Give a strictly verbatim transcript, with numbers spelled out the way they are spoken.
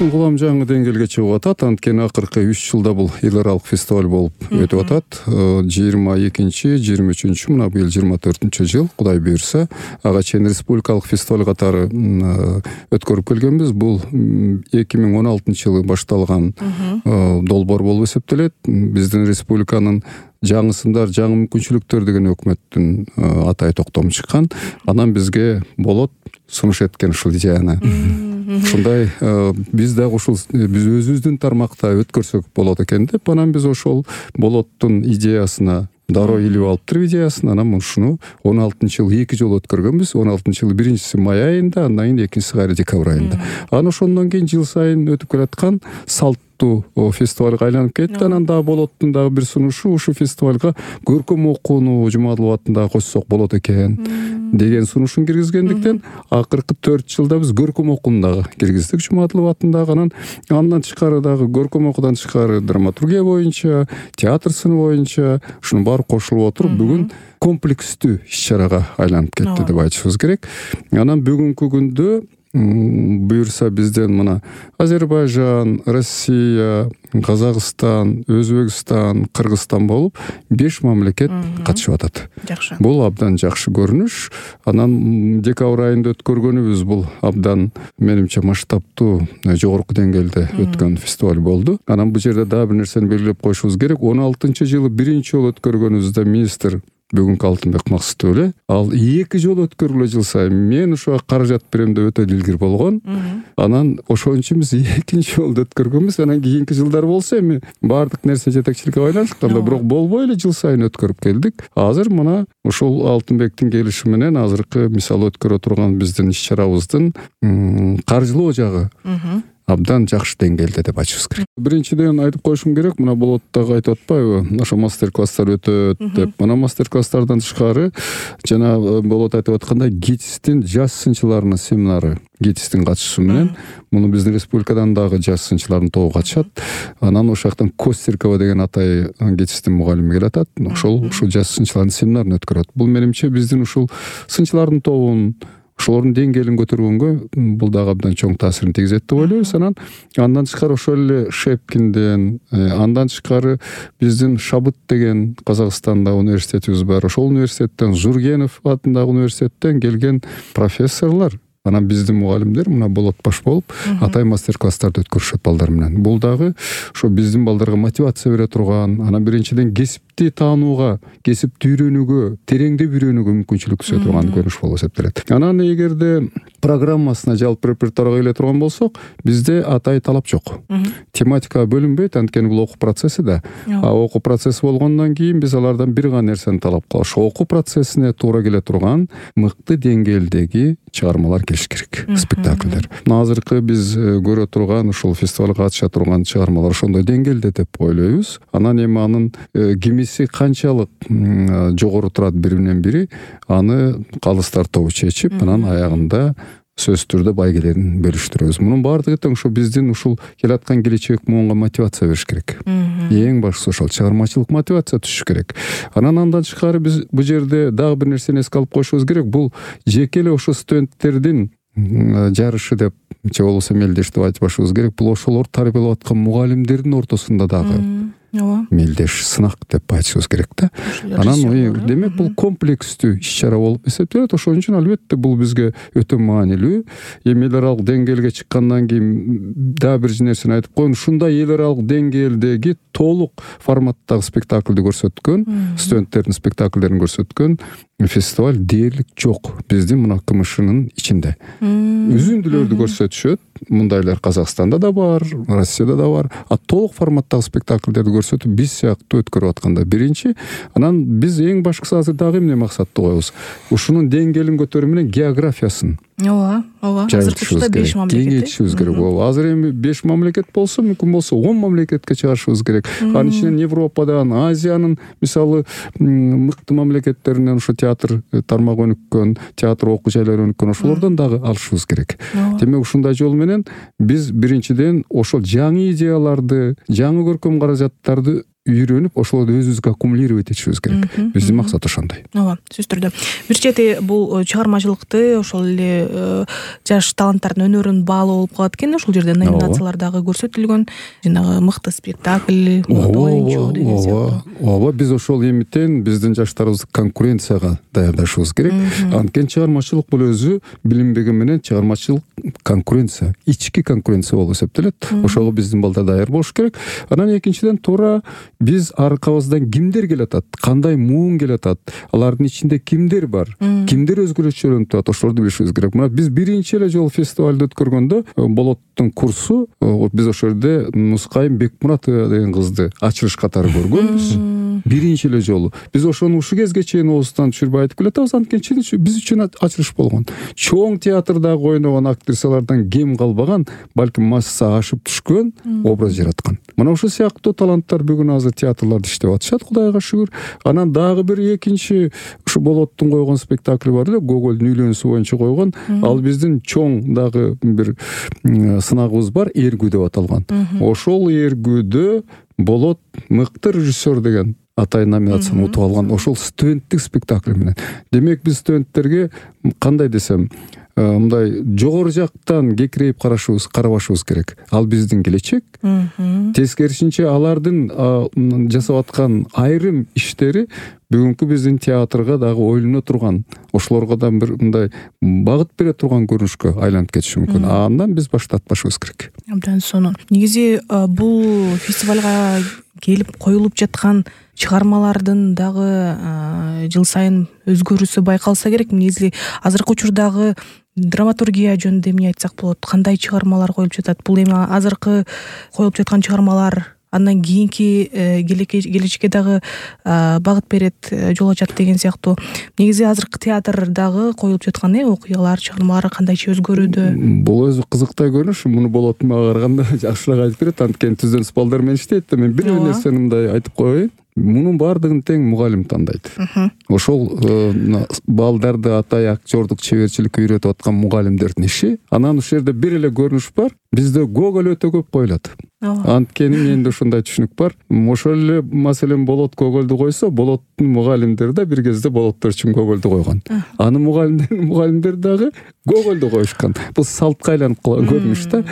Эркин кулам жаңы деңгээлге чыгып атат. Анткени акыркы үч жылда бул эл аралык фестиваль болуп өтүп атат. жыйырма экинчи жыйырма үчүнчү мына быйыл жыйырма төртүнчү жыл, Кудай буйрса, ага чейин республикалык фестиваль катары өткөрүп келгенбиз. Бул эки миң он алтынчы жылы башталган долбоор болуп эсептелет. Биздин республиканын жаңысындар, жаңы мүмкүнчүлүктөр деген өкмөттүн атай токтому чыккан. Анан бизге болот сунуш эткен ушул идеяны. Ушундай биз дагы ушул биз өзүбүздүн тармакта өткөрсөк болот экен деп, анан биз ошол болоттун идеясына дароо илип алыптыр идеясын. Анан ушуну он алтынчы жылы эки жолу өткөргөнбүз. он алтынчы жылы биринчиси май айында, андан кийин экинчиси кайра декабрь айында. Анан ошондон кийин жыл сайын өтүп келаткан салт фестивалга айланып кетти. Анан дагы болоттун дагы бир сунушу ушул фестивалга көркөм окууну Жумадылов атында койсок болот экен деген сунушун киргизгендиктен акыркы төрт жылда биз көркөм окууну дагы киргиздик Жумадылов атындагы. Анан андан тышкары дагы көркөм окуудан тышкары драматургия боюнча, театр сыны боюнча ушунун баары кошулуп отуруп бүгүн комплекстүү иш-чарага айланып кетти деп айтышыбыз керек. Анан бүгүнкү күндө буюрса бизден мына Азербайжан, Россия, Казакстан, Өзбекстан, Кыргызстан болуп беш мамлекет катышып атат. Жакшы. Бул абдан жакшы көрүнүш. Анан декабрь айында өткөргөнүбүз бул абдан менимче масштабтуу, жогорку деңгээлде өткөн фестиваль болду. Анан бул жерде дагы бир нерсени белгилеп коюшубуз керек. он алтынчы жылы биринчи жолу өткөргөнүбүздө министр бүгүнкү Алтынбек Максутов эле, ал эки жолу өткөрүлө жыл сайын. Мен ошого каражат берем деп өтө дилгир болгон. Анан ошон үчүн биз экинчи жолу өткөргөнбүз. Анан кийинки жылдар болсо эми баардык нерсе жетекчиликке байланышканда, бирок болбой эле жыл сайын өткөрүп келдик. Азыр мына ушул Алтынбектин келиши менен азыркы мисалы өткөрө турган биздин иш-чарабыздын каржылоо жагы абдан жакшы деңгээлде деп айтышыбыз керек. Биринчиден айтып коюшум керек, мына болоттогу айтып атпайбы, ошо мастер-класстар өтөт деп. Мына мастер-класстардан тышкары жана болот айтып аткандай ГИТИСтин жаш сынчыларынын семинары, ГИТИСтин катышуусу менен муну биздин республикадан дагы жаш сынчылардын тобу катышат. Анан ошол жактан Костеркова деген атай ГИТИСтин мугалими келатат. Ошол ушул жаш сынчылардын семинарын өткөрөт. Бул менимче биздин ушул сынчылардын тобун, ошолордун деңгээлин көтөргөнгө бул дагы абдан чоң таасирин тийгизет деп ойлойбуз. Анан андан тышкары ошол эле Шепкинден, андан тышкары биздин Шабыт деген Казакстанда университетибиз бар. Ошол университеттен, Зургенов атындагы университеттен келген профессорлор, анан биздин мугалимдер мына болот баш болуп атай мастер-класстарды өткөрүшөт балдар менен. Бул дагы ошо биздин балдарга мотивация бере турган, анан биринчиден кесипти таанууга, кесипти үйрөнүүгө, тереңдеп үйрөнүүгө мүмкүнчүлүк түзө турган көрүнүш болуп эсептелет. Анан эгерде программасына жалпы репертуарга келе турган болсок, бизде атай талап жок. Тематикага бөлүнбөйт, анткени бул окуу процесси да. А окуу процесси болгондон кийин биз алардан бир гана нерсени талап кылабыз. Ошо окуу процессине туура келе турган мыкты деңгээлдеги чыгармалар келиш керек, спектакльдер. Азыркы биз көрө турган ушул фестивалга катыша турган чыгармалар ошондой деңгээлде деп ойлойбуз. Анан эми анын кимиси канчалык жогору турат бири менен бири, аны калыстар тобу чечип, анан аягында сөзсүз түрдө байгелерин бөлүштүрөбүз. Мунун баардыгы тең ошо биздин ушул келаткан келечек муунга мотивация бериш керек. Эң башкысы ошол чыгармачылык мотивация түшүш керек. Анан андан тышкары биз бул жерде дагы бир нерсени эске алып коюшубуз керек. Бул жеке эле ошо студенттердин жарышы деп же болбосо мелдеш деп айтпашыбыз керек. Бул ошолор тарбиялап аткан мугалимдердин ортосунда дагы мелдеш, сынак деп айтышыбыз керек да. Анан демек бул комплекстүү иш-чара болуп эсептелет. Ошон үчүн албетте бул бизге өтө маанилүү. Эми эл аралык деңгээлге чыккандан кийин дагы бир нерсени айтып коеюн. Ушундай эл аралык деңгээлдеги толук форматтагы спектакльди көрсөткөн, студенттердин спектакльдерин көрсөткөн фестиваль дээрлик жок биздин мына КМШнын ичинде. Үзүндүлөрдү көрсөтүшөт. Мындайлар Казакстанда да бар, Россияда да бар. А толук форматтагы спектакльдерди көрсөтүп биз сыяктуу өткөрүп атканда биринчи. Анан биз эң башкысы азыр дагы эмне максатты коебуз? Ушунун деңгээлин көтөрүү менен географиясын Ооба, ооба. Азыр беш мамлекет. Кеңейтишибиз керек. Азыр эми беш мамлекет болсо, мүмкүн болсо он мамлекетке чыгарышыбыз керек. Анын ичинен Европадан, Азиянын мисалы мыкты мамлекеттеринен ошо театр тармагы өнүккөн, театр окуу жайлары өнүккөн, ошолордон дагы алышыбыз керек. Демек ушундай жол менен биз биринчиден ошол жаңы идеяларды, жаңы көркөм каражаттарды үйрөнүп ошолорду өзүбүзгө аккумулировать этишибиз керек. Биздин максат ошондой. ооба, сөзсүз түрдө. Бир чети бул чыгармачылыкты ошол эле жаш таланттардын өнөрүн баалоо болуп калат экен. Ошол жерде номинациялар дагы көрсөтүлгөн. Жанагы мыкты спектакль, мыкты оюнчу деген сыяктуу. Ооба, биз ошол эмитен биздин жаштарыбызды конкуренцияга даярдашыбыз керек. Анткени чыгармачылык бул өзү билинбеген менен чыгармачылык конкуренция, ички конкуренция болуп эсептелет. Ошого биздин балдар даяр болуш керек. Анан экинчиден туура биз аркабыздан кимдер келатат, кандай муун келатат, алардын ичинде кимдер бар, кимдер өзгөчөлөнүп турат, ошолорду билишибиз керек. Мына биз биринчи эле жолу фестивалды өткөргөндө Болоттун курсу, биз ошол жерде Нускайым Бекмуратова деген кызды ачылыш катары көргөнбүз. Биринчи эле жолу. Биз ошону ушул кезге чейин оозунан түшүрбөй айтып келатабыз, анткени биз үчүн ачылыш болгон. Чоң театрдагы ойногон актрисалардан кем калбаган, балким масса ашып түшкөн образ жараткан. Мына ушул сыяктуу таланттар бүгүн азыр театрларда иштеп атышат, Кудайга шүгүр. Анан дагы бир экинчи ушу Болоттун койгон спектакли бар эле, Гогольдун үйлөнүүсү боюнча койгон. Ал биздин чоң дагы бир сынагыбыз бар, Эргүү деп аталган. Ошол Эргүүдө Болот мыкты режиссер деген атай номинацияны утуп алган. Ошол студенттик спектакль менен. Демек биз студенттерге кандай десем, мындай жогору жактан кекирейип карашыбыз, карабашыбыз керек. Ал биздин келечек. Тескерисинче алардын жасап аткан айрым иштери бүгүнкү биздин театрга дагы ойлоно турган, ошолорго да бир мындай багыт бере турган көрүнүшкө айланып кетиши мүмкүн. Андан биз баш тартпашыбыз керек. Абдан сонун. Негизи бул фестивалга келип коюлуп жаткан чыгармалардын дагы жыл сайын өзгөрүүсү байкалса керек. Негизи азыркы учурдагы драматургия жөнүндө эмне айтсак болот? Кандай чыгармалар коюлуп жатат? Бул эми азыркы коюлуп жаткан чыгармалар андан кийинки келечекке дагы багыт берет, жол ачат деген сыяктуу. Негизи азыркы театрдагы коюлуп жаткан окуялар, чыгармалар кандайча өзгөрүүдө? Бул өзү кызыктай көрүнүш. Муну Болоттун мага караганда жакшыраак айтып берет, анткени түздөн балдар менен иштейт. Мен бир нерсени мындай айтып коеюн. Мунун баардыгын тең мугалим тандайт. Ошол балдарды атай актёрдук чеберчиликке үйрөтүп аткан мугалимдердин иши. Анан ушул жерде бир эле көрүнүш бар. Бизде Гоголь өтө көп коюлат. Анткени менде ушундай түшүнүк бар. Ошол эле маселен Болот Гогольду койсо, Болоттун мугалимдери да бир кезде Болоттор үчүн Гогольду койгон. Анын мугалимдери мугалимдери дагы Гогольду коюшкан. Бул салтка айланып калган көрүнүш да.